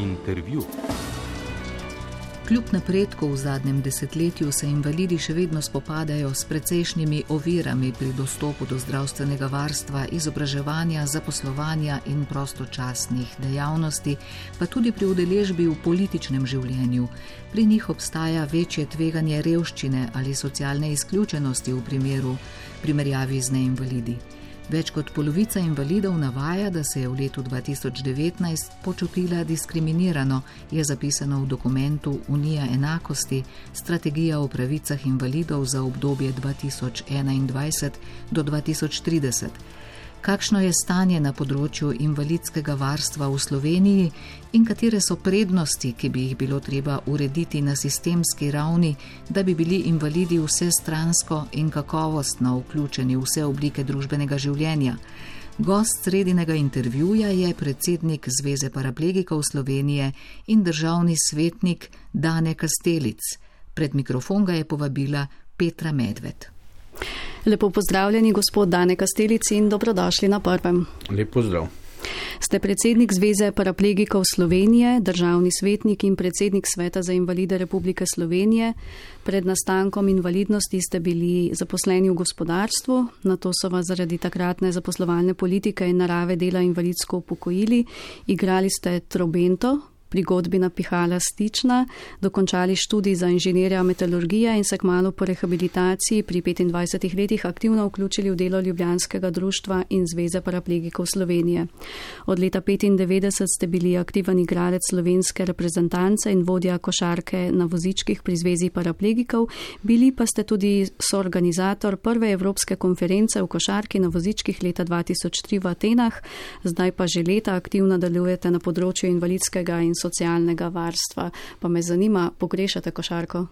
Intervju. Kljub napredku v zadnjem desetletju se invalidi še vedno spopadajo s precejšnjimi ovirami pri dostopu do zdravstvenega varstva, izobraževanja, zaposlovanja in prostočasnih dejavnosti, pa tudi pri udeležbi v političnem življenju. Pri njih obstaja večje tveganje revščine ali socialne izključenosti v primerjavi z neinvalidi. Več kot polovica invalidov navaja, da se je v letu 2019 počutila diskriminirano, je zapisano v dokumentu Unija enakosti, strategija o pravicah invalidov za obdobje 2021 do 2030. Kakšno je stanje na področju invalidskega varstva v Sloveniji in katere so prednosti, ki bi jih bilo treba urediti na sistemski ravni, da bi bili invalidi vsestransko in kakovostno vključeni v vse oblike družbenega življenja. Gost sredinega intervjuja je predsednik Zveze paraplegikov Slovenije in državni svetnik Dane Kastelic. Pred mikrofon ga je povabila Petra Medved. Lepo pozdravljeni, gospod Dane Kastelic, in dobrodošli na Prvem. Lep pozdrav. Ste predsednik Zveze paraplegikov Slovenije, državni svetnik in predsednik Sveta za invalide Republike Slovenije. Pred nastankom invalidnosti ste bili zaposleni v gospodarstvu, nato so vas zaradi takratne zaposlovalne politike in narave dela invalidsko upokojili, igrali ste trobento, pri godbi Napihala Stična, dokončali študij za inženirja metalurgije in se kmalu po rehabilitaciji pri 25 letih aktivno vključili v delo Ljubljanskega društva in Zveze paraplegikov Slovenije. Od leta 1995 ste bili aktiven igralec slovenske reprezentance in vodja košarke na vozičkih pri Zvezi paraplegikov, bili pa ste tudi soorganizator prve evropske konference v košarki na vozičkih leta 2003 v Atenah, zdaj pa že leta aktivno delujete na področju invalidskega in socialnega varstva. Pa me zanima, pogrešate košarko?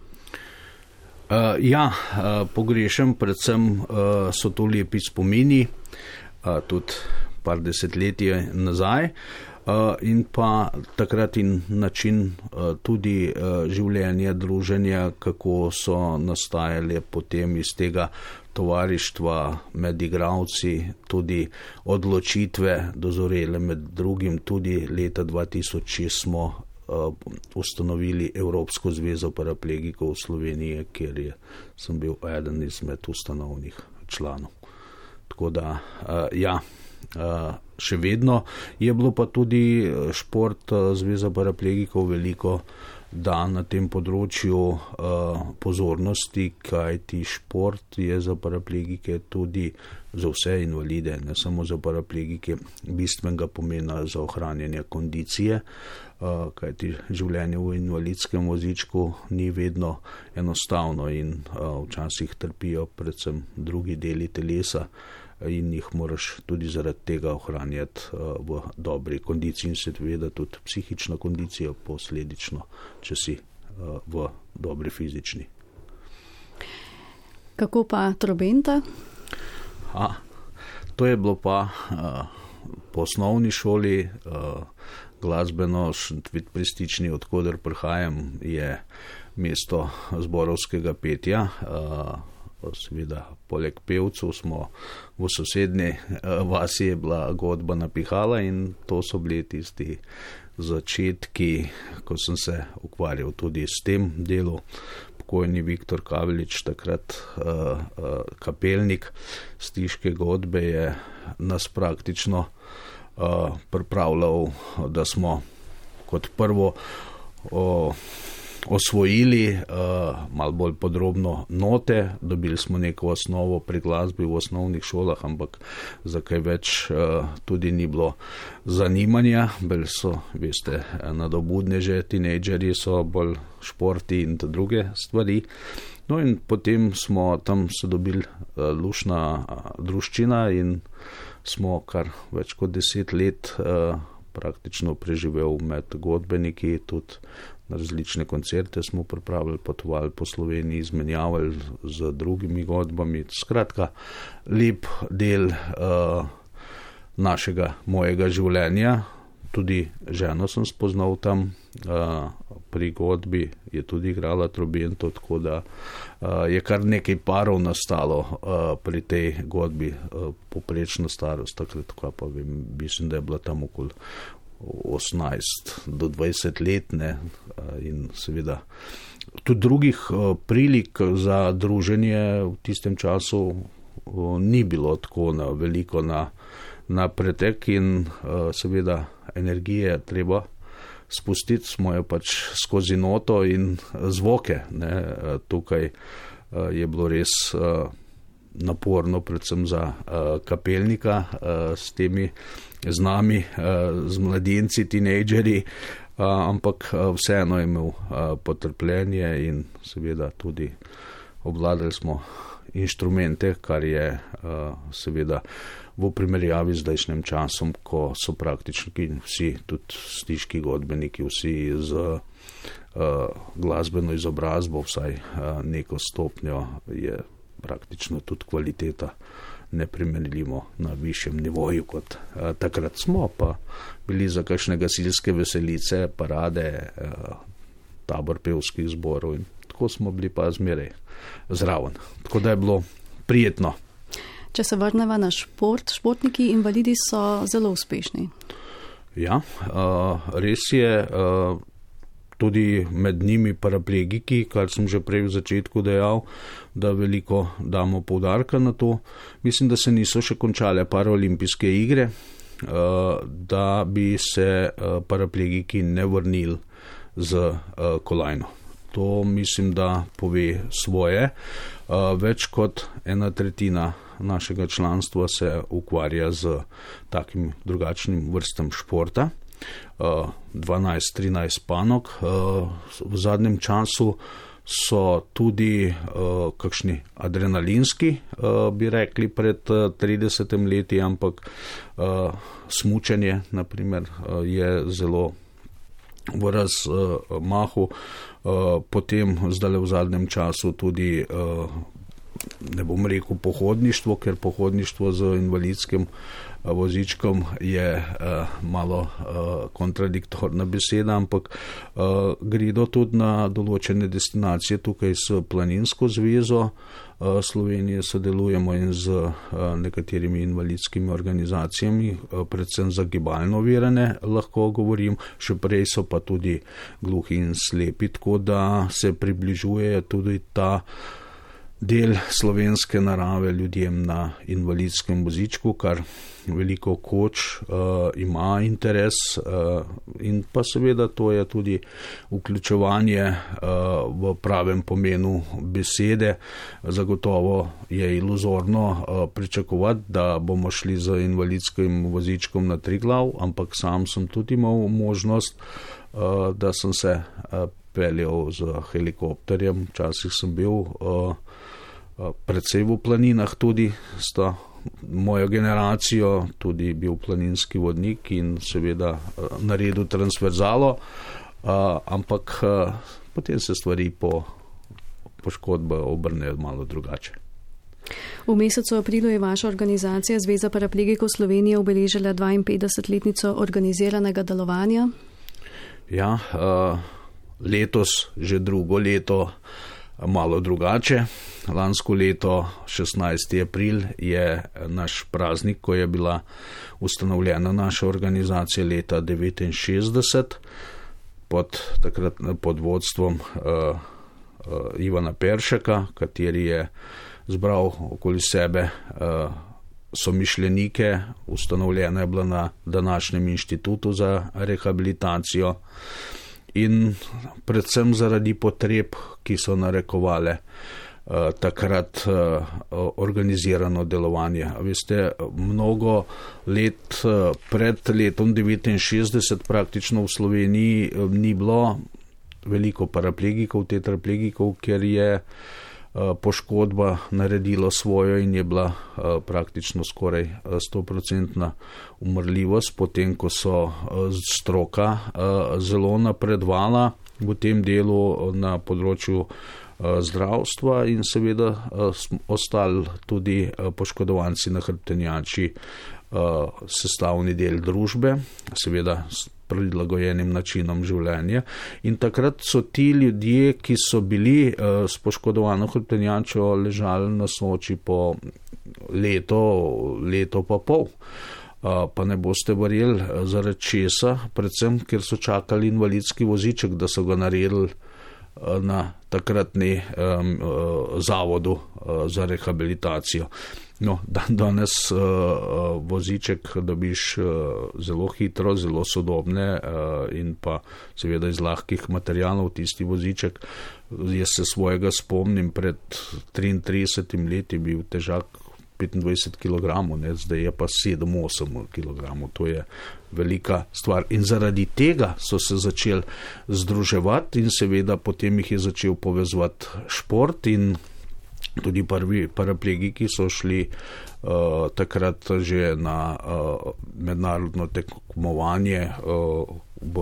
Pogrešam, predvsem so to lepi spomini, tudi par desetletij nazaj, in pa takrat in način tudi življenja, druženja, kako so nastajale potem iz tega tovarištva med igralci, tudi odločitve dozorele, med drugim tudi leta 2006 smo ustanovili Evropsko zvezo paraplegikov Slovenije, kjer sem bil eden izmed ustanovnih članov. Tako da, še vedno je bilo pa tudi šport Zveza paraplegikov veliko da na tem področju pozornosti, kajti šport je za paraplegike tudi za vse invalide, ne samo za paraplegike, bistvenega pomena za ohranjanje kondicije, kajti življenje v invalidskem vozičku ni vedno enostavno in včasih trpijo predvsem drugi deli telesa in jih moraš tudi zaradi tega ohranjati v dobri kondiciji in seveda tudi psihična kondicija posledično, če si v dobri fizični. Kako pa trobenta? To je bilo pa po osnovni šoli, glasbeno Šentvid pri Stični, odkoder prihajam, je mesto zborovskega petja. Seveda, poleg pevcev smo v sosednji vasi je bila godba Napihala in to so bili tisti začetki, ko sem se ukvarjal tudi s tem delom. Pokojni Viktor Kavelič, takrat kapelnik Stiške godbe, je nas praktično pripravljal, da smo kot prvo osvojili malo bolj podrobno note, dobili smo neko osnovo pri glasbi v osnovnih šolah, ampak za kaj več tudi ni bilo zanimanja, bili so, veste, nadobudneže, tinejdžeri so bolj športi in druge stvari. No in potem smo tam se dobili lušna druščina in smo kar več kot 10 let praktično preživel med godbeniki, tudi na različne koncerte smo pripravili, potovali po Sloveniji, izmenjavali z drugimi godbami. Skratka, lep del mojega življenja. Tudi ženo sem spoznal tam pri godbi, je tudi igrala trobento, tako da je kar nekaj parov nastalo pri tej godbi, poprečna starost, takrat pa mislim, da je bila tam okoli 18 do 20 let, ne, in seveda tudi drugih prilik za druženje v tistem času ni bilo tako veliko na pretek in seveda energije treba spustiti, smo jo pač skozi noto in zvoke, ne. Tukaj je bilo res naporno, predvsem za kapelnika s temi z nami, z mladinci, tinejdžeri, ampak vseeno je imel potrpljenje in seveda tudi obvladali smo inštrumente, kar je seveda v primerjavi z zdajšnjim časom, ko so praktično vsi, tudi stiški godbeniki, vsi z glasbeno izobrazbo, vsaj neko stopnjo, je praktično tudi kvaliteta neprimerljivo na višjem nivoju kot takrat smo, pa bili za kakšne gasilske veselice, parade, tabor pevskih zborov in tako smo bili pa zmeraj zraven. Tako da je bilo prijetno. Če se vrneva na šport, športniki invalidi so zelo uspešni. Ja, res je, tudi med njimi paraplegiki, kar sem že prej v začetku dejal, da veliko damo poudarka na to. Mislim, da se niso še končale paraolimpijske igre, da bi se paraplegiki ne vrnili z kolajno. To mislim, da pove svoje. Več kot 1/3 našega članstva se ukvarja z takim drugačnim vrstam športa. 12-13 panog. V zadnjem času so tudi kakšni adrenalinski, bi rekli, pred 30 leti, ampak smučanje, naprimer, je zelo v razmahu. Potem zdaj v zadnjem času tudi, ne bom rekel pohodništvo, ker pohodništvo z invalidskim vozičkom je malo kontradiktorna beseda, ampak gredo tudi na določene destinacije. Tukaj s Planinsko zvezo Slovenije sodelujemo in z nekaterimi invalidskimi organizacijami, predvsem za gibalno ovirane, lahko govorim, še prej so pa tudi gluhi in slepi, tako da se približuje tudi ta del slovenske narave ljudem na invalidskem vozičku, kar veliko koč ima interes, in pa seveda to je tudi vključevanje v pravem pomenu besede. Zagotovo je iluzorno pričakovati, da bomo šli z invalidskim vozičkom na Triglav, ampak sam sem tudi imel možnost, da sem se peljal z helikopterjem. Včasih sem bil predvsej v planinah, tudi sta mojo generacijo tudi bil planinski vodnik in seveda naredil transverzalo, ampak potem se stvari po poškodbi obrnejo malo drugače. V mesecu aprilu je vaša organizacija Zveza paraplegikov Slovenije obeležila 52-letnico organiziranega delovanja. Ja, letos že drugo leto malo drugače. Lansko leto, 16. april, je naš praznik, ko je bila ustanovljena naša organizacija leta 1969 pod vodstvom Ivana Peršaka, kateri je zbral okoli sebe somišljenike. Ustanovljena je bila na današnjem inštitutu za rehabilitacijo in predvsem zaradi potreb, ki so narekovale takrat organizirano delovanje. Veste, mnogo let pred letom 1969 praktično v Sloveniji ni bilo veliko paraplegikov, tetraplegikov, ker je poškodba naredila svojo in je bila praktično skoraj 100% umrljivost, potem ko so stroka zelo napredovala v tem delu na področju zdravstva in seveda ostali tudi poškodovanci na hrbtenjači sestavni del družbe, seveda s prilagojenim načinom življenja. In takrat so ti ljudje, ki so bili s poškodovano hrbtenjačo, ležali na Soči po leto pa pol. Pa ne boste verjeli, zaradi česa, predvsem, ker so čakali invalidski voziček, da so ga naredili na takratni zavodu za rehabilitacijo. No, danes voziček dobiš zelo hitro, zelo sodobne in pa seveda iz lahkih materialov tisti voziček. Jaz se svojega spomnim, pred 33 leti bil težak 25 kg, zdaj je pa 7-8 kg, to je velika stvar. In zaradi tega so se začeli združevati in seveda potem jih je začel povezovati šport in tudi prvi paraplegiki so šli takrat že na mednarodno tekmovanje v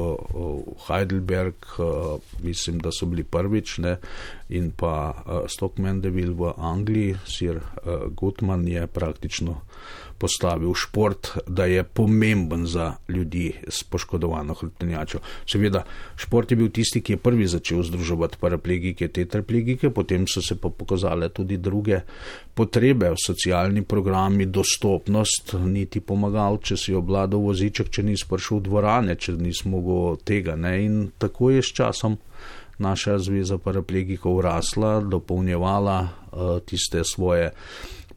Heidelberg, mislim, da so bili prvič, in pa Stoke Mandeville v Angliji. Sir Goodman je praktično postavil šport, da je pomemben za ljudi s poškodovano hrbtenjačo. Seveda, šport je bil tisti, ki je prvi začel združevati paraplegike, tetraplegike, potem so se pa pokazale tudi druge potrebe, socialni programi, dostopnost, niti pomagal, če si obladal voziček, če nisi prišel v dvorane, če nisi mogel tega. In tako je s časom naša zveza paraplegikov rasla, dopolnjevala tiste svoje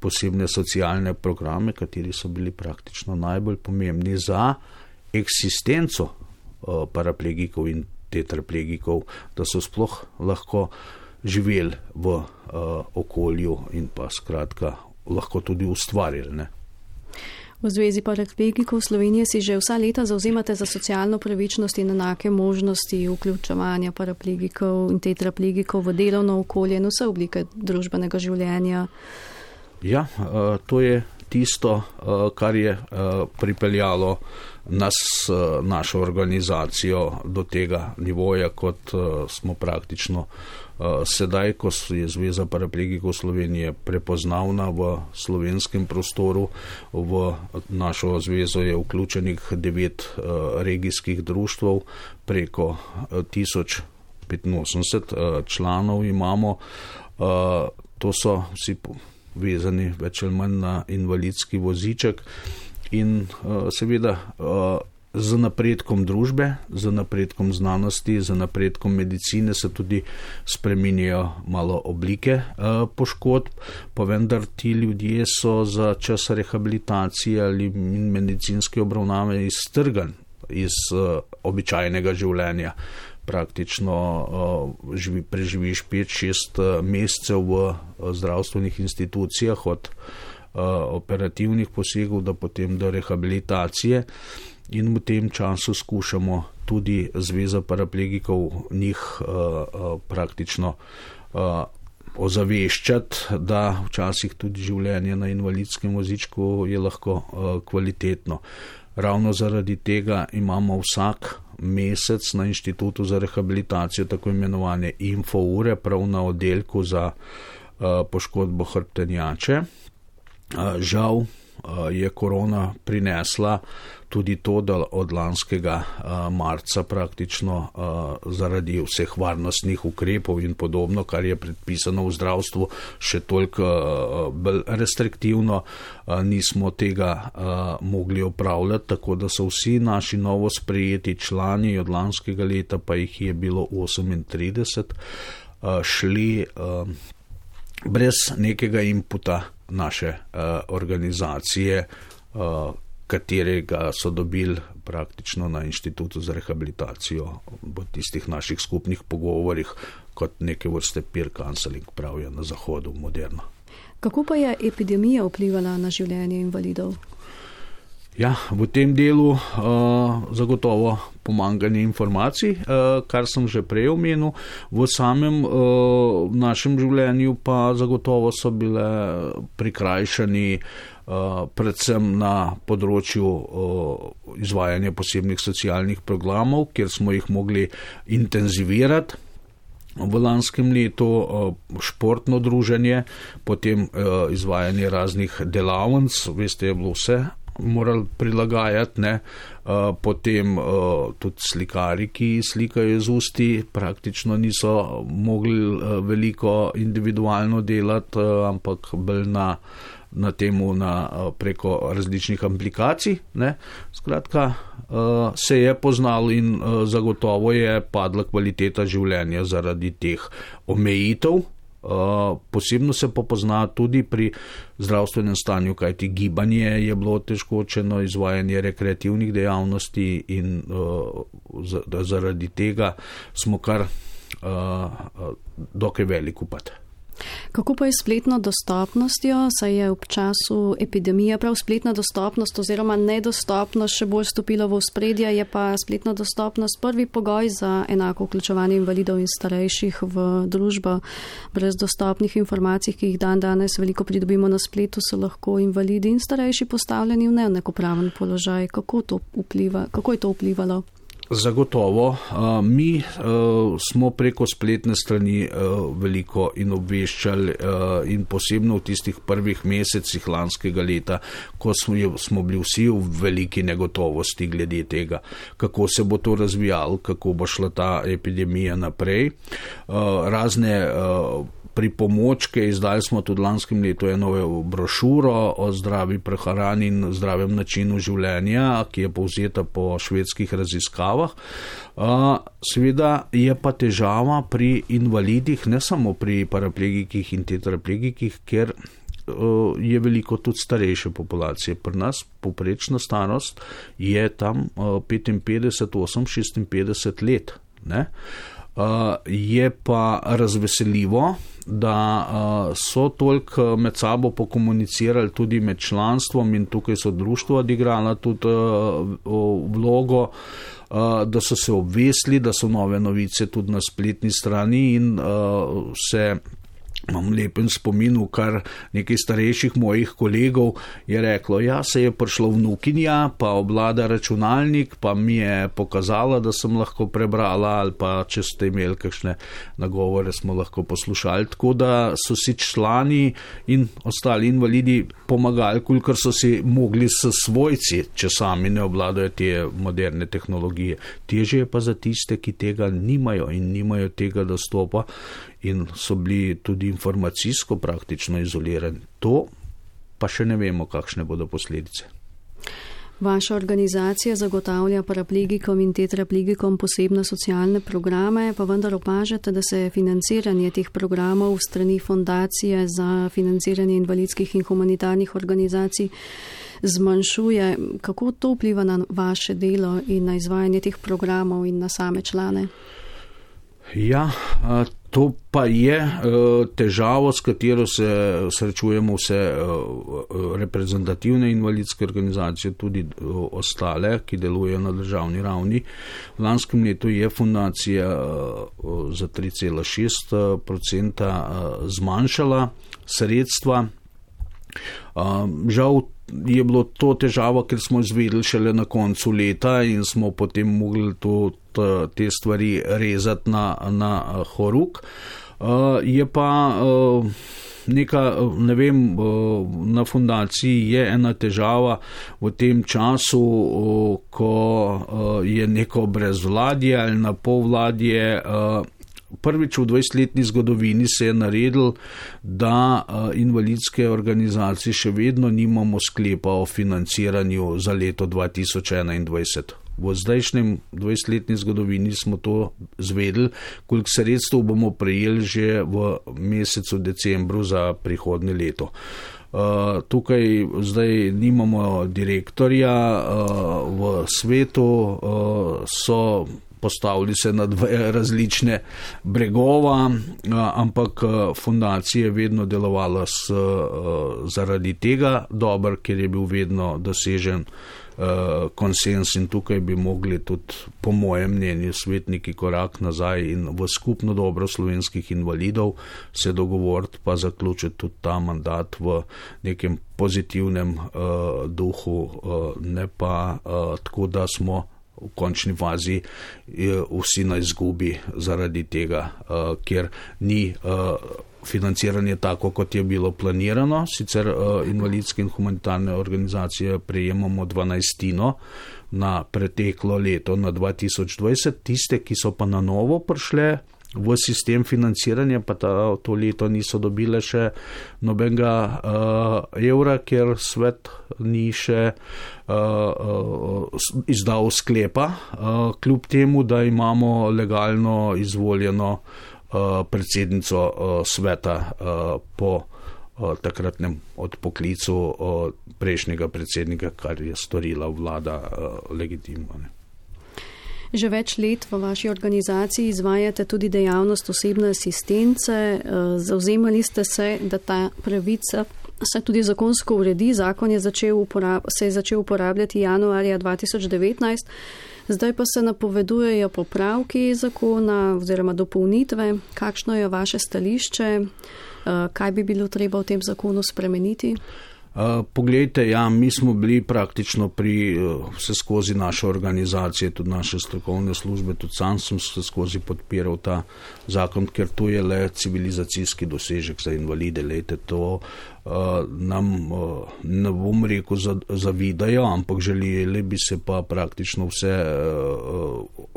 posebne socialne programe, kateri so bili praktično najbolj pomembni za eksistenco paraplegikov in tetraplegikov, da so sploh lahko živeli v okolju in pa skratka lahko tudi ustvarili. V Zvezi paraplegikov Slovenije si že vsa leta zauzemate za socialno pravičnost in enake možnosti vključevanja paraplegikov in tetraplegikov v delovno okolje in vse oblike družbenega življenja. Ja, to je tisto, kar je pripeljalo našo organizacijo do tega nivoja, kot smo praktično sedaj, ko je Zveza paraplegikov Slovenije prepoznavna v slovenskem prostoru. V našo zvezo je vključenih 9 regijskih društev, preko 1085 članov imamo. To so vsi vezani več ali manj na invalidski voziček in seveda z napredkom družbe, z napredkom znanosti, z napredkom medicine se tudi spreminjajo malo oblike poškodb, pa vendar ti ljudje so za čas rehabilitacije ali medicinske obravnave iztrgani iz običajnega življenja. Praktično preživiš 5-6 mesecev v zdravstvenih institucijah od operativnih posegov do potem do rehabilitacije in v tem času skušamo tudi Zveza paraplegikov njih praktično ozaveščati, da včasih tudi življenje na invalidskem vozičku je lahko kvalitetno. Ravno zaradi tega imamo vsak mesec na Inštitutu za rehabilitacijo tako imenovane infoure prav na oddelku za poškodbo hrbtenjače. Žal je korona prinesla tudi to, da od lanskega marca praktično zaradi vseh varnostnih ukrepov in podobno, kar je predpisano v zdravstvu, še toliko bolj restriktivno, nismo tega mogli opravljati, tako da so vsi naši novo sprejeti člani od lanskega leta, pa jih je bilo 38, šli brez nekega inputa naše organizacije, katerega so dobili praktično na Inštitutu za rehabilitacijo v tistih naših skupnih pogovorih kot neke vrste peer counseling, pravijo na Zahodu moderno. Kako pa je epidemija vplivala na življenje invalidov? Ja, v tem delu zagotovo pomanjkanje informacij, kar sem že prej omenil. V samem našem življenju pa zagotovo so bile prikrajšani predvsem na področju izvajanja posebnih socialnih programov, kjer smo jih mogli intenzivirati. V lanskem letu športno druženje, potem izvajanje raznih delavnic, veste, je bilo vse morali prilagajati, potem tudi slikari, ki slikajo z usti, praktično niso mogli veliko individualno delati, ampak bolj na na temu preko različnih aplikacij. Ne. Skratka, se je poznalo in zagotovo je padla kvaliteta življenja zaradi teh omejitev. Posebno se pa pozna tudi pri zdravstvenem stanju, kajti gibanje je bilo otežkočeno, izvajanje rekreativnih dejavnosti in zaradi tega smo kar dokaj velik upad. Kako pa je spletno dostopnostjo, saj je v času epidemije prav spletna dostopnost oziroma nedostopnost še bolj stopila v ospredje, je pa spletna dostopnost prvi pogoj za enako vključevanje invalidov in starejših v družbo. Brez dostopnih informacij, ki jih danes veliko pridobimo na spletu, so lahko invalidi in starejši postavljeni v neenakopraven položaj. Kako je to vplivalo? Zagotovo. Mi smo preko spletne strani veliko in obveščali in posebno v tistih prvih mesecih lanskega leta, ko smo bili vsi v veliki negotovosti glede tega, kako se bo to razvijalo, kako bo šla ta epidemija naprej. Razne pripomočke, izdali smo tudi lanskem letu eno brošuro o zdravi prehrani in zdravem načinu življenja, ki je povzeta po švedskih raziskavah. Seveda je pa težava pri invalidih, ne samo pri paraplegikih in tetraplegikih, ker je veliko tudi starejše populacije. Pri nas povprečna starost je tam 55-56 let. Ne? Je pa razveseljivo, da so toliko med sabo pokomunicirali tudi med članstvom in tukaj so društva odigrala tudi vlogo, da so se obvesili, da so nove novice tudi na spletni strani in imam lepen spomin, kar nekaj starejših mojih kolegov je reklo, se je prišlo vnukinja, pa obvlada računalnik, pa mi je pokazala, da sem lahko prebrala, ali pa če ste imeli kakšne nagovore, smo lahko poslušali. Tako da so si člani in ostali invalidi pomagali, kolikor so si mogli s svojci, če sami ne obvladajo te moderne tehnologije. Težje je pa za tiste, ki tega nimajo in nimajo tega dostopa in so bili tudi informacijsko praktično izolirani. To pa še ne vemo, kakšne bodo posledice. Vaša organizacija zagotavlja paraplegikom in tetraplegikom posebne socialne programe, pa vendar opažate, da se financiranje teh programov v strani Fundacije za financiranje invalidskih in humanitarnih organizacij zmanjšuje. Kako to vpliva na vaše delo in na izvajanje teh programov in na same člane? To pa je težavo, s katero se srečujemo vse reprezentativne invalidske organizacije, tudi ostale, ki delujejo na državni ravni. V lanskem letu je fundacija za 3,6% zmanjšala sredstva. Žal je bilo to težava, ker smo izvedeli šele na koncu leta in smo potem mogli te stvari rezati na horuk. Je pa na fundaciji je ena težava v tem času, ko je neko brezvladje ali na polvladje. Prvič v 20-letni zgodovini se je naredil, da invalidske organizacije še vedno nimamo sklepa o financiranju za leto 2021. V zdajšnjem 20-letni zgodovini smo to zvedeli, koliko sredstev bomo prejeli že v mesecu decembru za prihodnje leto. Tukaj zdaj nimamo direktorja v svetu, so postavili se na dve različne bregova, ampak fundacija je vedno delovala zaradi tega dobro, ker je bil vedno dosežen konsens in tukaj bi mogli tudi, po mojem mnenju, svetniki korak nazaj in v skupno dobro slovenskih invalidov se dogovoriti pa zaključiti tudi ta mandat v nekem pozitivnem duhu, ne pa tako, da smo v končni fazi vsi na izgubi zaradi tega, ker ni financiranje tako, kot je bilo planirano. Sicer invalidske in humanitarne organizacije prejemamo 12 na preteklo leto, na 2020. Tiste, ki so pa na novo prišle, v sistem financiranja, pa to leto niso dobile še nobenega evra, ker svet ni še izdal sklepa, kljub temu, da imamo legalno izvoljeno predsednico sveta po takratnem odpoklicu prejšnjega predsednika, kar je storila vlada legitimno. Že več let v vaši organizaciji izvajate tudi dejavnost osebne asistence. Zavzemali ste se, da ta pravica se tudi zakonsko uredi. Zakon se je začel uporabljati januarja 2019. Zdaj pa se napovedujejo popravki zakona oziroma dopolnitve. Kakšno je vaše stališče? Kaj bi bilo treba v tem zakonu spremeniti? Poglejte, mi smo bili praktično pri vse skozi naše organizacije, tudi naše strokovne službe, tudi sam sem se skozi podpiral ta zakon, ker to je le civilizacijski dosežek za invalide. Lejte, to nam, ne bom rekel, zavidajo, ampak želeli bi se pa praktično vse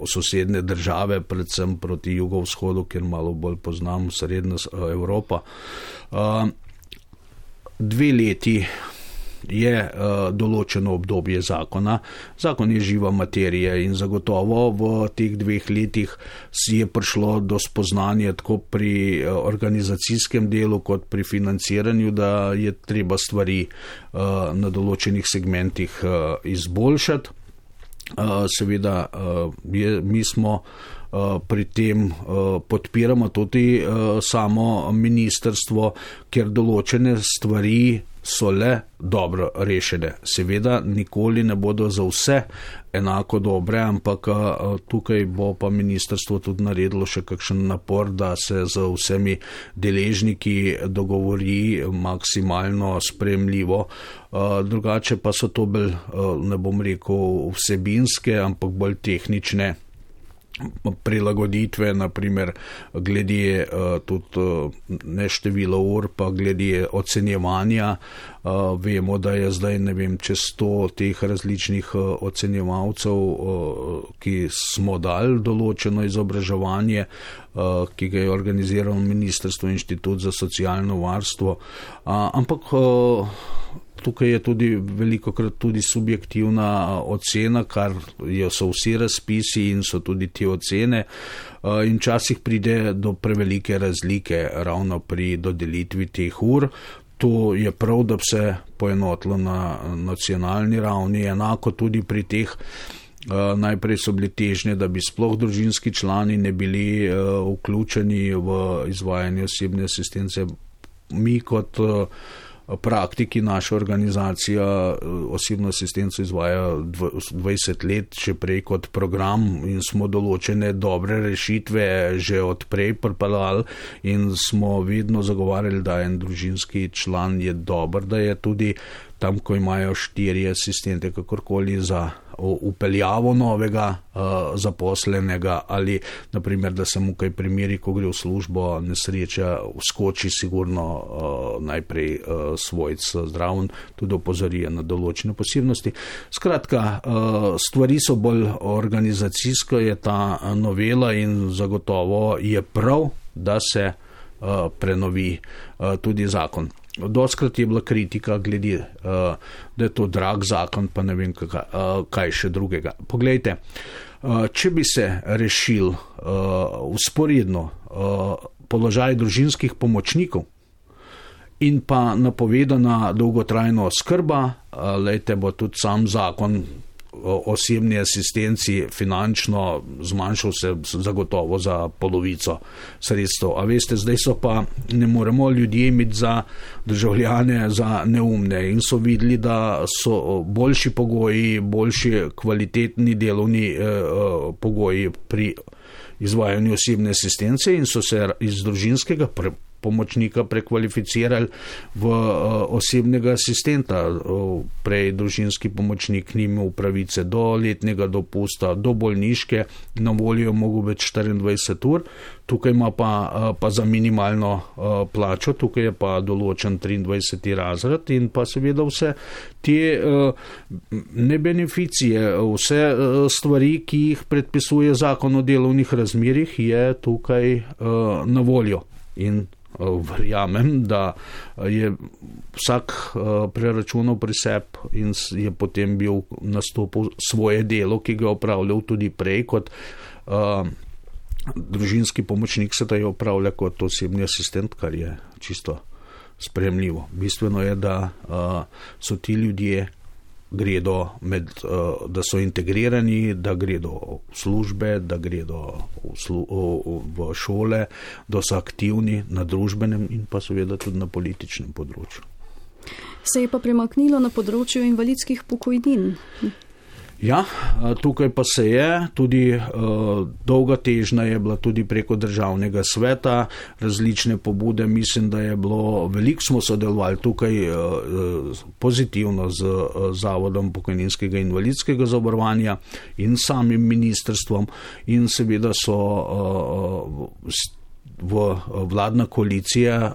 sosedne države, predvsem proti jugovzhodu, ker malo bolj poznam srednja Evropa. 2 leti je določeno obdobje zakona. Zakon je živa materija in zagotovo v teh 2 letih si je prišlo do spoznanja tako pri organizacijskem delu kot pri financiranju, da je treba stvari na določenih segmentih izboljšati. Seveda mi smo pri tem podpiramo tudi samo ministrstvo, ker določene stvari so le dobro rešene. Seveda nikoli ne bodo za vse enako dobre, ampak tukaj bo pa ministrstvo tudi naredilo še kakšen napor, da se z vsemi deležniki dogovori maksimalno sprejemljivo. Drugače pa so to bolj, ne bom rekel vsebinske, ampak bolj tehnične prilagoditve, naprimer glede tudi ne število ur, pa glede ocenjevanja. Vemo, da je zdaj, čez 100 teh različnih ocenjevalcev, ki smo dali določeno izobraževanje, ki ga je organiziralo Ministrstvo Inštitut za socialno varstvo. Ampak tukaj je tudi velikokrat tudi subjektivna ocena, kar so vsi razpisi in so tudi te ocene. In včasih pride do prevelike razlike ravno pri dodelitvi teh ur. To je prav, da bi se poenotilo na nacionalni ravni, enako tudi pri teh. Najprej so bile težnje, da bi sploh družinski člani ne bili vključeni v izvajanje osebne asistence. Mi kot praktiki, naša organizacija osebno asistenco izvaja 20 let, še prej kot program, in smo določene dobre rešitve že odprej pripeljali in smo vedno zagovarjali, da en družinski član je dober, da je tudi tam, ko imajo 4 asistente, kakorkoli za upeljavo novega zaposlenega, ali naprimer, da se mu kaj primeri, ko gre v službo, nesreča, vskoči sigurno najprej svojc zdraven, tudi opozorije na določene posebnosti. Skratka, stvari so bolj organizacijsko, je ta novela, in zagotovo je prav, da se prenovi tudi zakon. Dostkrat je bila kritika glede, da je to drag zakon, pa ne vem kaj še drugega. Poglejte, če bi se rešil vzporedno položaj družinskih pomočnikov in pa napovedana dolgotrajna oskrba, lejte, bo tudi sam zakon osebni asistenci finančno zmanjšal se zagotovo za polovico sredstev. A veste, zdaj so pa, ne moremo ljudje imeti za državljane za neumne, in so videli, da so boljši pogoji, boljši kvalitetni delovni pogoji pri izvajanju osebne asistence, in so se iz družinskega pomočnika prekvalificirali v osebnega asistenta. Prej družinski pomočnik ni imel pravice do letnega dopusta, do bolniške, na voljo je mogel biti 24 ur, tukaj ima pa za minimalno plačo, tukaj je pa določen 23. razred in pa seveda vse te ne beneficije, vse stvari, ki jih predpisuje zakon o delovnih razmerjih, je tukaj na voljo. In verjamem, da je vsak preračunal pri sebi in je potem bil nastopil svoje delo, ki ga je opravljal tudi prej kot družinski pomočnik, se da je opravlja kot osebni asistent, kar je čisto sprejemljivo. Bistveno je, da so ti ljudje da so integrirani, da gredo v službe, da gredo v šole, da so aktivni na družbenem in pa seveda tudi na političnem področju. Se je pa premaknilo na področju invalidskih pokojnin. Ja, tukaj pa se je, tudi dolga težnja je bila tudi preko državnega sveta, različne pobude, mislim, da je bilo, veliko smo sodelovali tukaj pozitivno z Zavodom pokojninskega in invalidskega zavarovanja in samim ministrstvom in seveda so vladna koalicija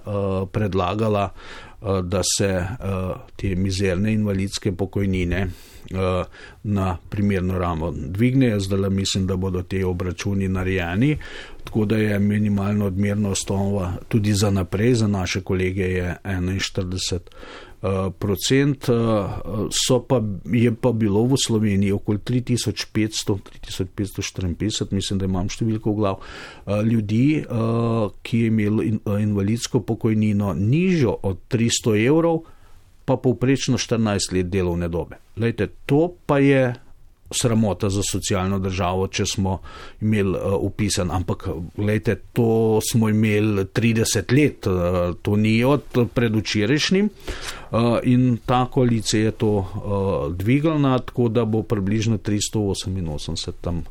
predlagala, da se te mizerne invalidske pokojnine na primerno raven dvignejo. Zdaj mislim, da bodo te obračuni narejeni, tako da je minimalno odmerna osnova tudi za naprej, za naše kolege je 41%, je pa bilo v Sloveniji okoli 3554, mislim, da imam številko v glav, ljudi, ki je imeli invalidsko pokojnino nižjo od 300 evrov, pa povprečno 14 let delovne dobe. Glejte, to pa je sramota za socialno državo, če smo imeli upisan, ampak glejte, to smo imeli 30 let, to ni od predvčerajšnjim in ta koalicija je to dvignila, tako da bo približno 388 tam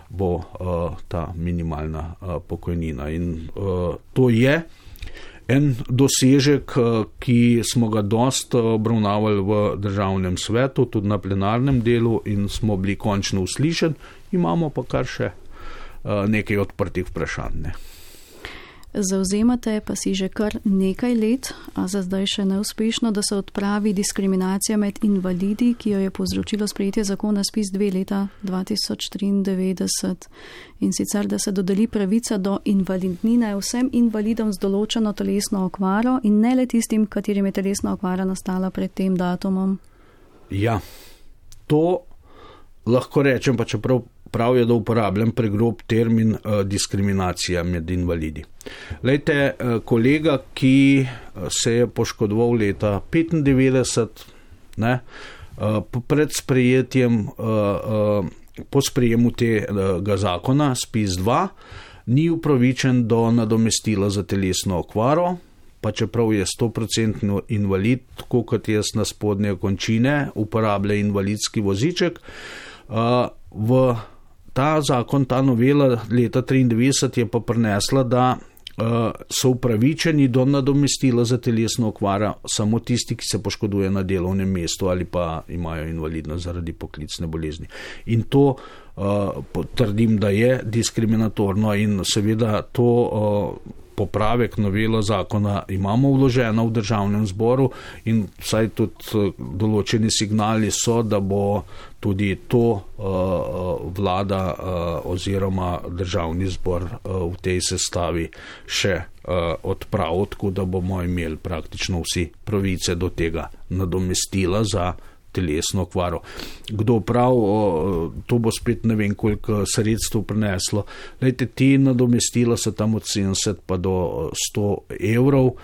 bo ta minimalna pokojnina in to je en dosežek, ki smo ga dost obravnavali v državnem svetu, tudi na plenarnem delu in smo bili končno uslišeni, imamo pa kar še nekaj odprtih vprašanj. Zavzemate pa si že kar nekaj let, a za zdaj še neuspešno, da se odpravi diskriminacija med invalidi, ki jo je povzročilo sprejetje zakona SPIZ-2 leta 2093 in sicer, da se dodeli pravica do invalidnine vsem invalidom z določeno telesno okvaro in ne le tistim, katerim je telesna okvara nastala pred tem datumom. Ja, to lahko rečem, pa čeprav prav je, da uporabljam pregrob termin diskriminacija med invalidi. Lejte, kolega, ki se je poškodoval leta 1995, pred sprejetjem, po sprejemu tega zakona SPIZ-2, ni upravičen do nadomestila za telesno okvaro, pa čeprav je 100% invalid, tako kot jaz na spodnje končine, uporablja invalidski voziček. Ta zakon, ta novela leta 1993 je pa prinesla, da so upravičeni do nadomestila za telesno okvaro samo tisti, ki se poškoduje na delovnem mestu ali pa imajo invalidnost zaradi poklicne bolezni. In to potrdim, da je diskriminatorno in seveda to popravek novelo zakona imamo vloženo v državnem zboru in vsaj tudi določeni signali so, da bo tudi to vlada oziroma državni zbor v tej sestavi še odpravil, tako da bomo imeli praktično vsi pravice do tega nadomestila za telesno okvaro. Kdo prav, to bo spet ne vem koliko sredstev prineslo. Lejte, ti nadomestila so tam od 70 pa do 100 evrov.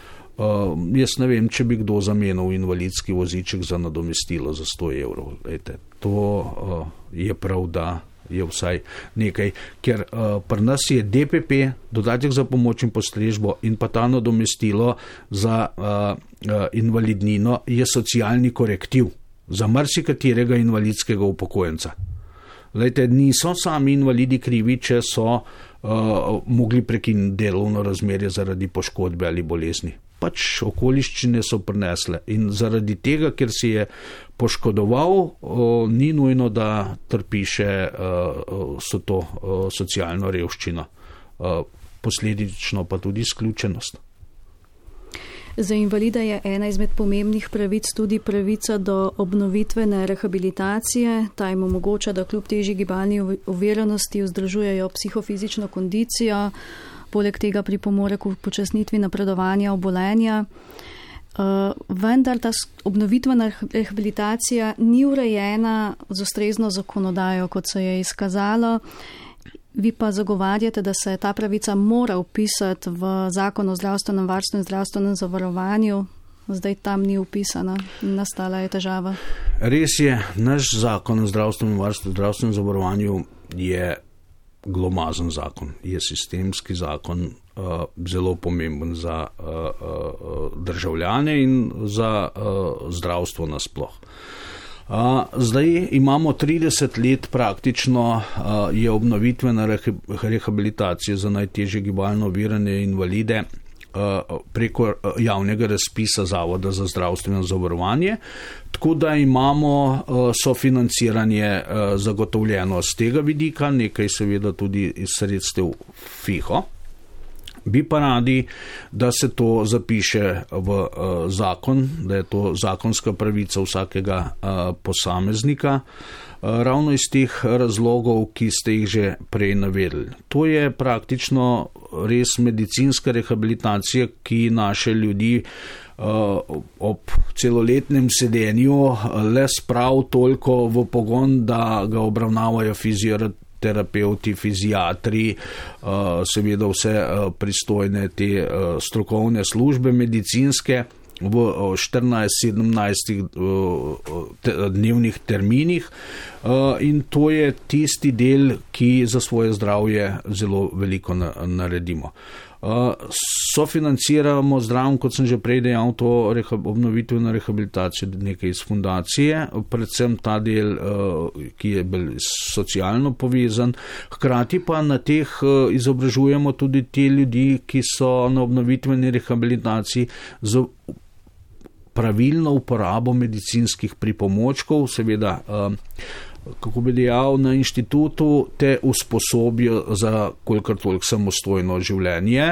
Jaz ne vem, če bi kdo zamenil invalidski voziček za nadomestilo za 100 evrov. Lejte, to je prav, da je vsaj nekaj, ker pri nas je DPP, dodatek za pomoč in postrežbo in pa ta nadomestilo za invalidnino je socialni korektiv za marsikaterega invalidskega upokojenca. Lejte, niso sami invalidi krivi, če so mogli prekiniti delovno razmerje zaradi poškodbe ali bolezni. Pač okoliščine so prinesle in zaradi tega, ker si je poškodoval, ni nujno, da trpi še so to socialno revščino, posledično pa tudi izključenost. Za invalida je ena izmed pomembnih pravic tudi pravica do obnovitvene rehabilitacije. Ta jim omogoča, da kljub težji gibalni oviranosti vzdržujejo psihofizično kondicijo, poleg tega pripomore k upočasnitvi napredovanja obolenja. Vendar ta obnovitvena rehabilitacija ni urejena z ustrezno zakonodajo, kot se je izkazalo. Vi pa zagovarjate, da se ta pravica mora vpisati v Zakon o zdravstvenem varstvu in zdravstvenem zavarovanju. Zdaj tam ni vpisana in nastala je težava. Res je, naš Zakon o zdravstvenem varstvu in zdravstvenem zavarovanju je glomazen zakon, je sistemski zakon, zelo pomemben za državljane in za zdravstvo nasploh. Zdaj imamo 30 let praktično, je obnovitvena rehabilitacija za najtežje gibalno ovirane invalide preko javnega razpisa Zavoda za zdravstveno zavarovanje, tako da imamo sofinanciranje zagotovljeno z tega vidika, nekaj seveda tudi iz sredstev FIHO. Bi pa radi, da se to zapiše v zakon, da je to zakonska pravica vsakega posameznika, ravno iz teh razlogov, ki ste jih že prej navedli. To je praktično res medicinska rehabilitacija, ki naše ljudi ob celoletnem sedenju le sprav toliko v pogon, da ga obravnavajo fizioterapeuti, fiziatri, seveda vse pristojne te strokovne službe medicinske v 14-17 dnevnih terminih in to je tisti del, ki za svoje zdravje zelo veliko naredimo. Sofinanciramo zdravom, kot sem že prej dejal, to obnovitveno rehabilitacijo nekaj iz fundacije, predvsem ta del, ki je bolj socialno povezan. Hkrati pa na teh izobražujemo tudi te ljudi, ki so na obnovitveni rehabilitaciji z pravilno uporabo medicinskih pripomočkov, seveda kako bi dejal, na inštitutu te usposobijo za kolikor toliko samostojno življenje,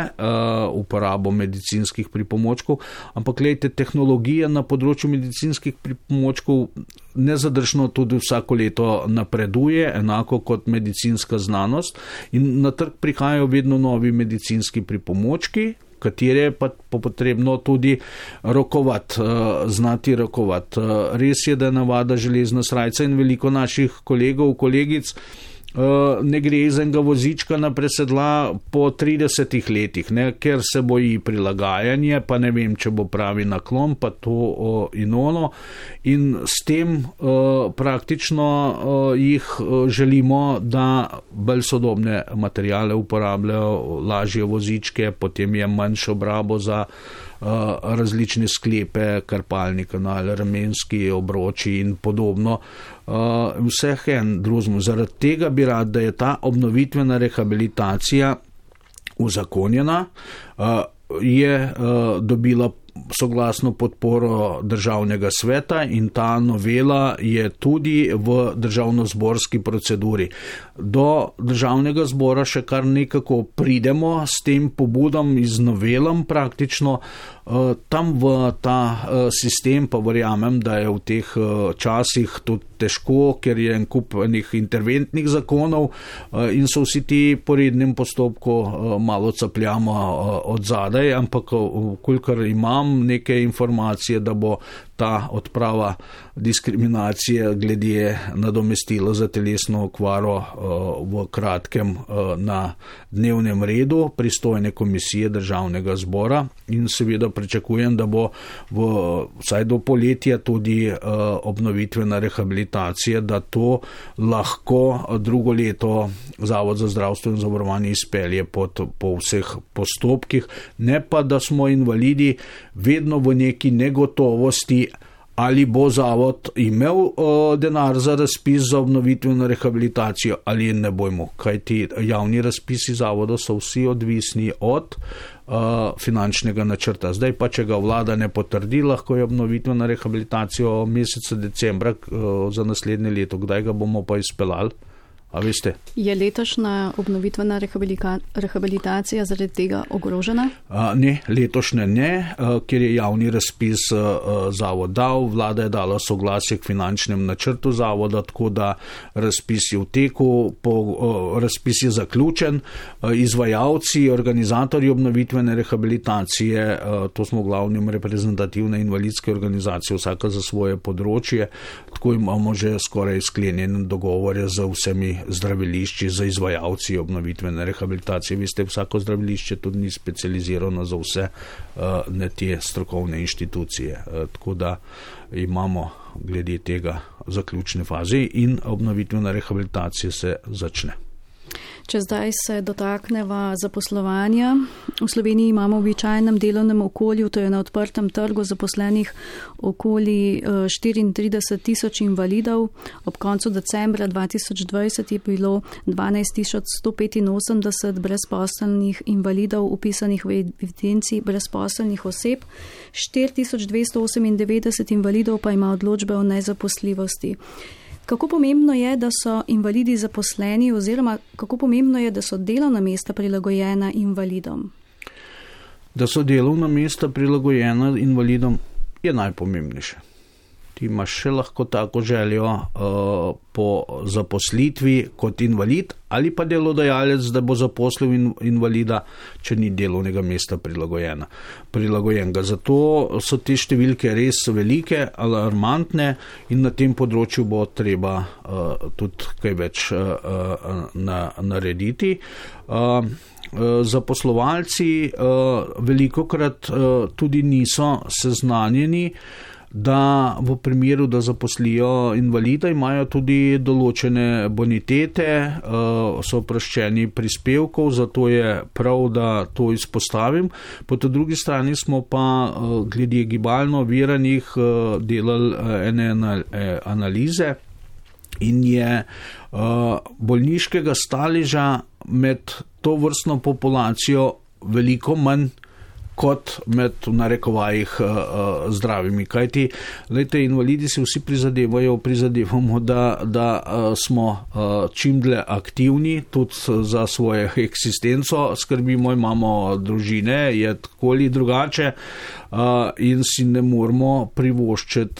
uporabo medicinskih pripomočkov, ampak glejte, tehnologija na področju medicinskih pripomočkov nezadržno tudi vsako leto napreduje, enako kot medicinska znanost, in na trg prihajajo vedno novi medicinski pripomočki, katere pa potrebno tudi rokovati, znati rokovati. Res je, da je navada železna srajca in veliko naših kolegov, kolegic ne gre iz enega vozička na presedla po 30 letih, ne, ker se boji prilagajanje, pa ne vem, če bo pravi naklon, pa to in ono. In s tem praktično jih želimo, da bolj sodobne materiale uporabljajo, lažje vozičke, potem je manjšo obrabo za različne sklepe, karpalni kanal, ramenski obroči in podobno. Vseh en drugemu. Zaradi tega bi rad, da je ta obnovitvena rehabilitacija uzakonjena, je dobila soglasno podporo Državnega sveta in ta novela je tudi v državnozborski proceduri. Do Državnega zbora še kar nekako pridemo s tem pobudom iz novelam praktično. Tam v ta sistem pa verjamem, da je v teh časih tudi težko, ker je en kup interventnih zakonov in so vsi ti po rednem postopku malo capljamo od zadaj, ampak kolikor imam neke informacije, da bo ta odprava diskriminacije glede nadomestila za telesno okvaro v kratkem na dnevnem redu pristojne komisije Državnega zbora in seveda pričakujem, da bo vsaj do poletja tudi obnovitvena rehabilitacija, da to lahko drugo leto Zavod za zdravstveno zavarovanje izpelje po vseh postopkih, ne pa da smo invalidi vedno v neki negotovosti, ali bo zavod imel denar za razpis za obnovitveno rehabilitacijo ali ne bomo, kajti javni razpisi zavoda so vsi odvisni od finančnega načrta. Zdaj pa, če ga vlada ne potrdi, lahko je obnovitvena rehabilitacija meseca decembra za naslednje leto. Kdaj ga bomo pa izpeljali? A veste? Je letošnja obnovitvena rehabilitacija zaradi tega ogrožena? Ne, letošnja ne, ker je javni razpis zavod dal, vlada je dala soglasje k finančnem načrtu zavoda, tako da razpis je v teku, razpis je zaključen, izvajalci, organizatorji obnovitvene rehabilitacije, to smo v glavnem reprezentativne invalidske organizacije, vsaka za svoje področje, tako imamo že skoraj sklenjen dogovor z vsemi zdravilišči, za izvajalci obnovitvene rehabilitacije. Veste, vsako zdravilišče tudi ni specializirano za vse ne te strokovne inštitucije. Tako da imamo glede tega zaključne faze in obnovitvena rehabilitacija se začne. Če zdaj se dotakneva zaposlovanja, v Sloveniji imamo v običajnem delovnem okolju, to je na odprtem trgu zaposlenih okoli 34 tisoč invalidov. Ob koncu decembra 2020 je bilo 12 185 brezposelnih invalidov upisanih v evidenci brezposelnih oseb, 4298 invalidov pa ima odločbe o nezaposljivosti. Kako pomembno je, da so invalidi zaposleni oziroma kako pomembno je, da so delovna mesta prilagojena invalidom? Da so delovna mesta prilagojena invalidom je najpomembnejše. Ti imaš še lahko tako željo po zaposlitvi kot invalid ali pa delodajalec, da bo zaposlil invalida, če ni delovnega mesta prilagojenega. Zato so te številke res velike, alarmantne in na tem področju bo treba tudi kaj več narediti. Zaposlovalci velikokrat tudi niso seznanjeni, da v primeru, da zaposlijo invalida, imajo tudi določene bonitete, so oproščeni prispevkov, zato je prav, da to izpostavim. Po tej drugi strani smo pa glede gibalno oviranih delali ene analize in je bolniškega staleža med to vrstno populacijo veliko manj kot med v narekovajih zdravimi. Kajti, glejte, invalidi se vsi prizadevamo, da smo čim dlje aktivni, tudi za svojo eksistenco skrbimo, imamo družine, je tako ali drugače in si ne moramo privoščiti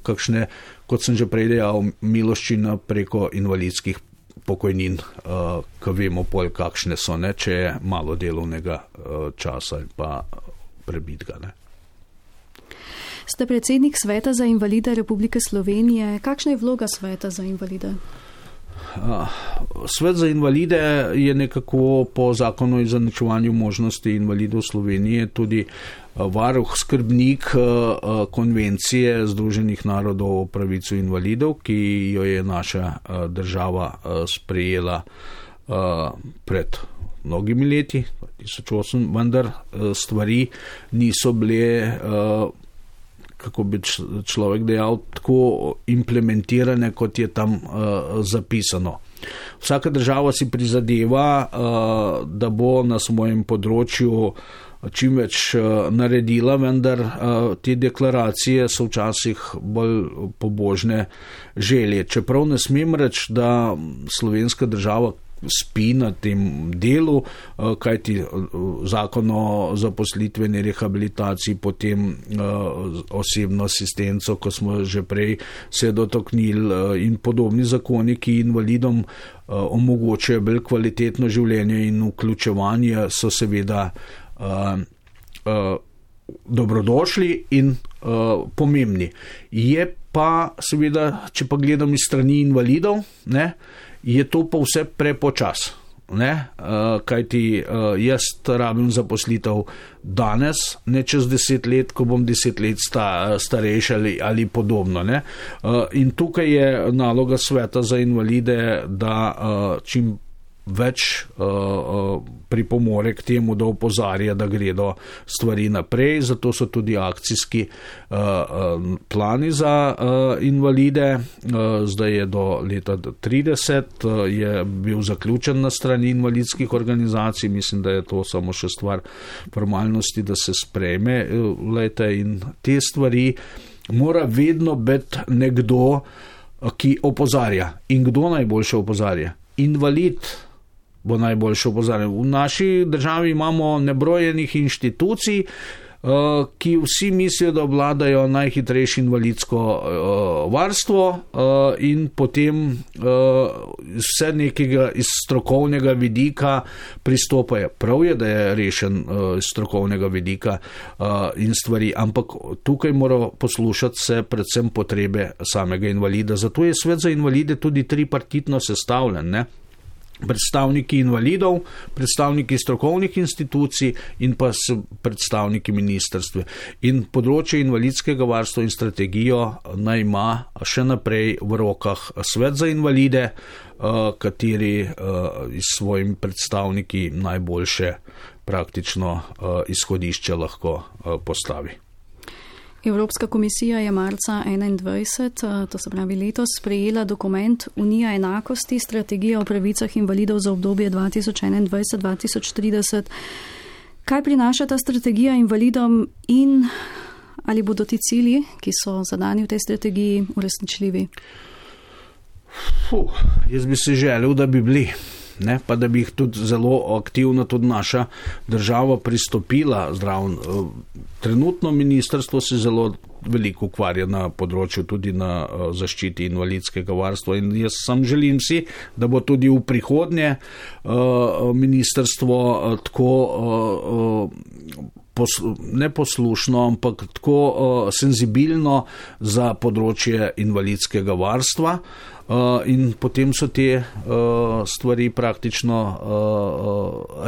kakšne, kot sem že prej dejal, miloščina preko invalidskih pokojnin, ko vemo pol, kakšne so, ne, če je malo delovnega časa ali pa prebitga. Ne. Ste predsednik Sveta za invalide Republike Slovenije. Kakšna je vloga Sveta za invalide? Svet za invalide je nekako po zakonu o izenačevanju možnosti invalidov Slovenije tudi varuh, skrbnik konvencije Združenih narodov o pravici invalidov, ki jo je naša država sprejela pred mnogimi leti, 2008, vendar stvari niso bile, kako bi človek dejal, tako implementirane, kot je tam zapisano. Vsaka država si prizadeva, da bo na svojem področju čim več naredila, vendar te deklaracije so včasih bolj pobožne želje. Čeprav ne smem reči, da slovenska država spi na tem delu, kajti zakon o zaposlitveni rehabilitaciji, potem osebno asistenco, ko smo že prej se dotaknili, in podobni zakoni, ki invalidom omogočajo bolj kvalitetno življenje in vključevanje, so seveda dobrodošli in pomembni. Je pa seveda, če pa gledam iz strani invalidov, ne, je to pa vse prepočas, ne, kajti jaz rabim zaposlitev danes, ne čez 10 let, ko bom 10 let starejši ali podobno, ne. In tukaj je naloga Sveta za invalide, da čim več pripomore k temu, da opozarja, da gredo stvari naprej, zato so tudi akcijski plani za invalide. Zdaj je do leta 30, je bil zaključen na strani invalidskih organizacij, mislim, da je to samo še stvar formalnosti, da se sprejme, in te stvari mora vedno biti nekdo, ki opozarja. In kdo najboljše opozarja? Invalid bo najboljše opozarjal. V naši državi imamo nebrojenih inštitucij, ki vsi mislijo, da obvladajo najhitrejše invalidsko varstvo in potem vse nekega iz strokovnega vidika pristopajo. Prav je, da je rešen iz strokovnega vidika in stvari, ampak tukaj mora poslušati se predvsem potrebe samega invalida. Zato je svet za invalide tudi tripartitno sestavljen, ne? Predstavniki invalidov, predstavniki strokovnih institucij in pa predstavniki ministrstve. In področje invalidskega varstva in strategijo naj ima še naprej v rokah svet za invalide, kateri s svojimi predstavniki najboljše praktično izhodišče lahko postavi. Evropska komisija je marca 2021, to se pravi letos, sprejela dokument Unija enakosti, strategija o pravicah invalidov za obdobje 2021-2030. Kaj prinaša ta strategija invalidom in ali bodo ti cilji, ki so zadani v tej strategiji, uresničljivi? Jaz bi si želel, da bi bili. Ne, pa da bi jih tudi zelo aktivno tudi naša država pristopila zraven. Trenutno ministrstvo se zelo veliko ukvarja na področju tudi na zaščiti invalidskega varstva in jaz sam želim si, da bo tudi v prihodnje ministrstvo tako neposlušno, ampak tako senzibilno za področje invalidskega varstva. In potem so te stvari praktično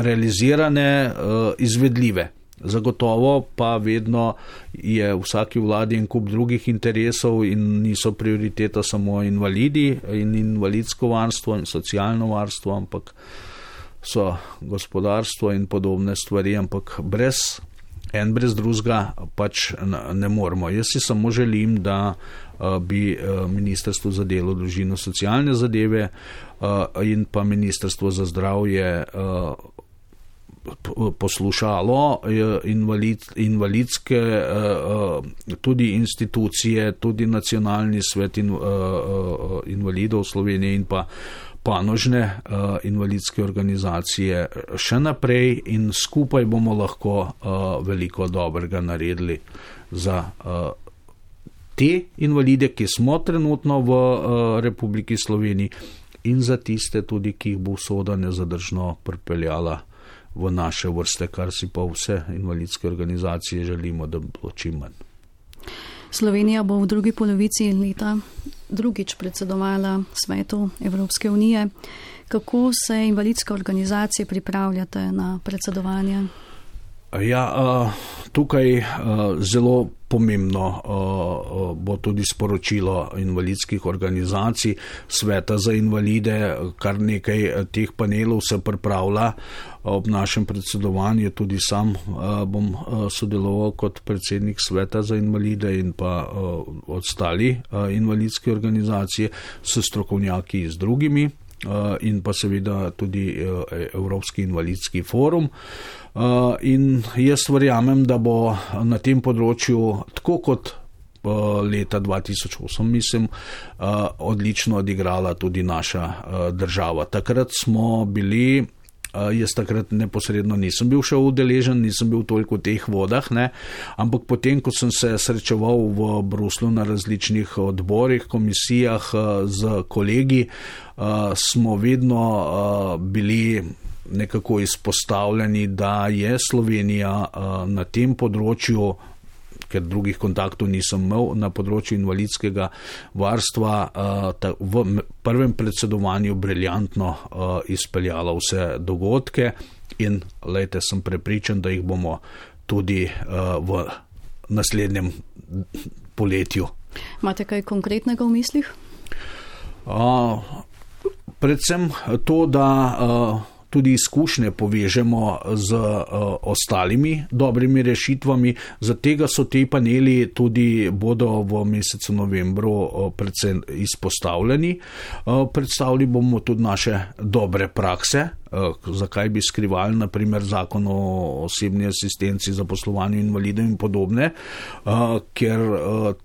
realizirane, izvedljive. Zagotovo pa vedno je v vsaki vladi en kup drugih interesov in niso prioriteta samo invalidi in invalidsko varstvo in socialno varstvo, ampak so gospodarstvo in podobne stvari, ampak brez drugega pač ne moremo. Jaz si samo želim, da bi Ministrstvo za delo, družino, socialne zadeve in pa Ministrstvo za zdravje poslušalo invalidske tudi institucije, tudi Nacionalni svet invalidov Slovenije in pa panožne invalidske organizacije še naprej in skupaj bomo lahko veliko dobrega naredili za te invalide, ki smo trenutno v Republiki Sloveniji in za tiste tudi, ki jih bo usoda nezadržno pripeljala v naše vrste, kar si pa vse invalidske organizacije želimo, da bo čim manj. Slovenija bo v drugi polovici leta drugič predsedovala Svetu Evropske unije. Kako se invalidske organizacije pripravljate na predsedovanje? Ja, tukaj zelo pomembno bo tudi sporočilo invalidskih organizacij, Sveta za invalide, kar nekaj teh panelov se pripravlja ob našem predsedovanju, tudi sam bom sodeloval kot predsednik Sveta za invalide in pa ostali invalidske organizacije s strokovnjaki z drugimi in pa seveda tudi Evropski invalidski forum. In jaz verjamem, da bo na tem področju, tako kot leta 2008, mislim, odlično odigrala tudi naša država. Takrat smo bili, jaz takrat neposredno nisem bil še udeležen, nisem bil toliko v teh vodah, ne, ampak potem, ko sem se srečeval v Bruslu na različnih odborih, komisijah z kolegi, smo vedno bili nekako izpostavljeni, da je Slovenija na tem področju, ker drugih kontaktov nisem imel, na področju invalidskega varstva v prvem predsedovanju briljantno izpeljala vse dogodke in lejte, sem prepričan, da jih bomo tudi v naslednjem poletju. Imate kaj konkretnega v mislih? Predvsem to, da tudi izkušnje povežemo z ostalimi dobrimi rešitvami. Za tega so te paneli tudi bodo v mesecu novembru predvsem izpostavljeni. Predstavili bomo tudi naše dobre prakse, zakaj bi skrivali naprimer zakon o osebni asistenci, zaposlovanju invalidov in podobne, ker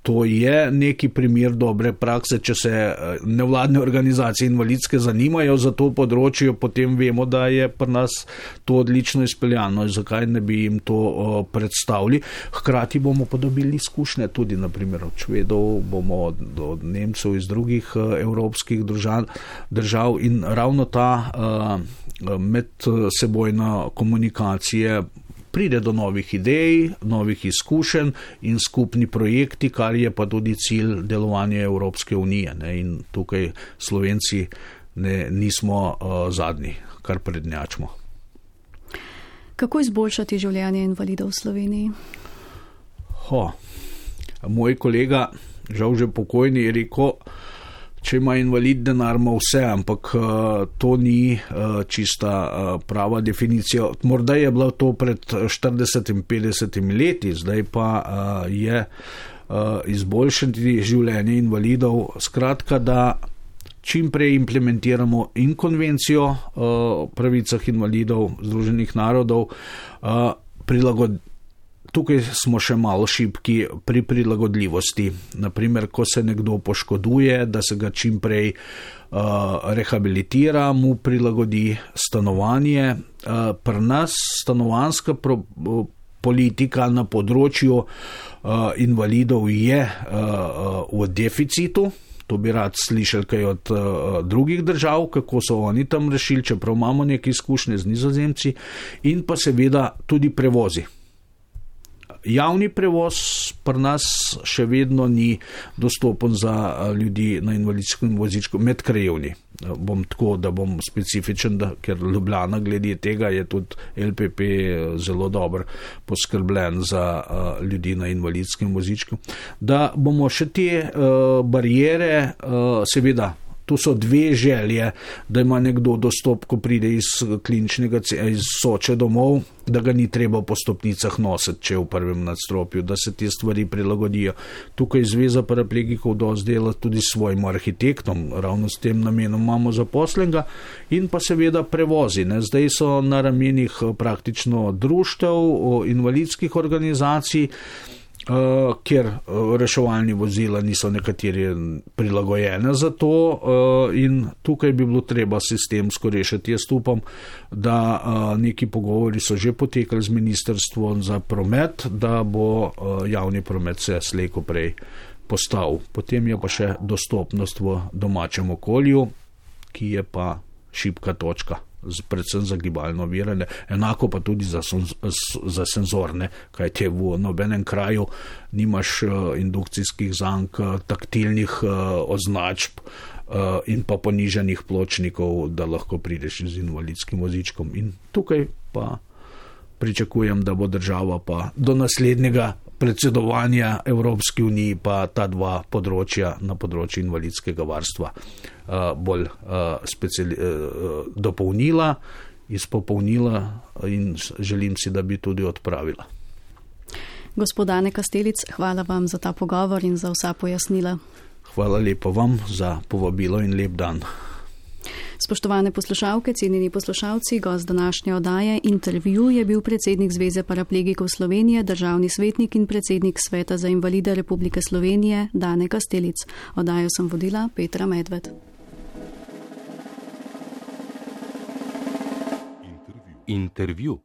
to je neki primer dobre prakse. Če se nevladne organizacije invalidske zanimajo za to področje, potem vemo, da je pri nas to odlično izpeljano, zakaj ne bi jim to predstavili. Hkrati bomo podobili izkušnje tudi naprimer od Švedov, bomo od Nemcev iz drugih evropskih držav in ravno ta medsebojna komunikacija pride do novih idej, novih izkušenj in skupni projekti, kar je pa tudi cilj delovanja Evropske unije. In tukaj Slovenci nismo zadnji, kar prednjačimo. Kako izboljšati življenje invalidov v Sloveniji? Moj kolega, žal že pokojni, je rekel, če ima invalid denar, ima vse, ampak to ni čista prava definicija. Morda je bilo to pred 40-50 leti, zdaj pa je izboljšati življenje invalidov. Skratka, da čim prej implementiramo in konvencijo o pravicah invalidov Združenih narodov, Tukaj smo še malo šibki pri prilagodljivosti. Naprimer, ko se nekdo poškoduje, da se ga čim prej rehabilitira, mu prilagodi stanovanje. Pri nas stanovanjska politika na področju invalidov je v deficitu. To bi rad slišali kaj od drugih držav, kako so oni tam rešili, čeprav imamo neke izkušnje z Nizozemci, in pa seveda tudi prevozi. Javni prevoz pri nas še vedno ni dostopen za ljudi na invalidskem vozičku medkrajevni. Bom tako, da bom specifičen, ker Ljubljana glede tega je tudi LPP zelo dobro poskrbljen za ljudi na invalidskem vozičku. Da bomo še te barijere, seveda, tu so dve želje, da ima nekdo dostop, ko pride iz kliničnega, iz Soče domov, da ga ni treba po stopnicah nositi, če je v prvem nadstropju, da se te stvari prilagodijo. Tukaj Zveza paraplegikov dosti dela tudi s svojim arhitektom, ravno s tem namenom imamo zaposlenega, in pa seveda prevozi. Zdaj so na ramenih praktično društev, invalidskih organizacij, kjer reševalni vozila niso nekateri prilagojene za to, in tukaj bi bilo treba sistemsko rešiti. Jaz upam, da neki pogovori so že potekali z Ministrstvom za promet, da bo javni promet se slej ko prej postavil. Potem je pa še dostopnost v domačem okolju, ki je pa šibka točka, predvsem za gibalno ovirane, enako pa tudi za senzorne, kajte v nobenem kraju nimaš indukcijskih zank, taktilnih označb in pa ponižanih pločnikov, da lahko prideš z invalidskim vozičkom. In tukaj pa pričakujem, da bo država pa do naslednjega predsedovanja Evropski uniji pa ta dva področja na področju invalidskega varstva bolj dopolnila, izpopolnila in želim si, da bi tudi odpravila. Gospod Dane Kastelic, hvala vam za ta pogovor in za vsa pojasnila. Hvala lepa vam za povabilo in lep dan. Spoštovane poslušalke, cenjeni poslušalci, gost današnje oddaje Intervju je bil predsednik Zveze paraplegikov Slovenije, državni svetnik in predsednik Sveta za invalide Republike Slovenije, Dane Kastelic. Oddajo sem vodila Petra Medved. Intervju.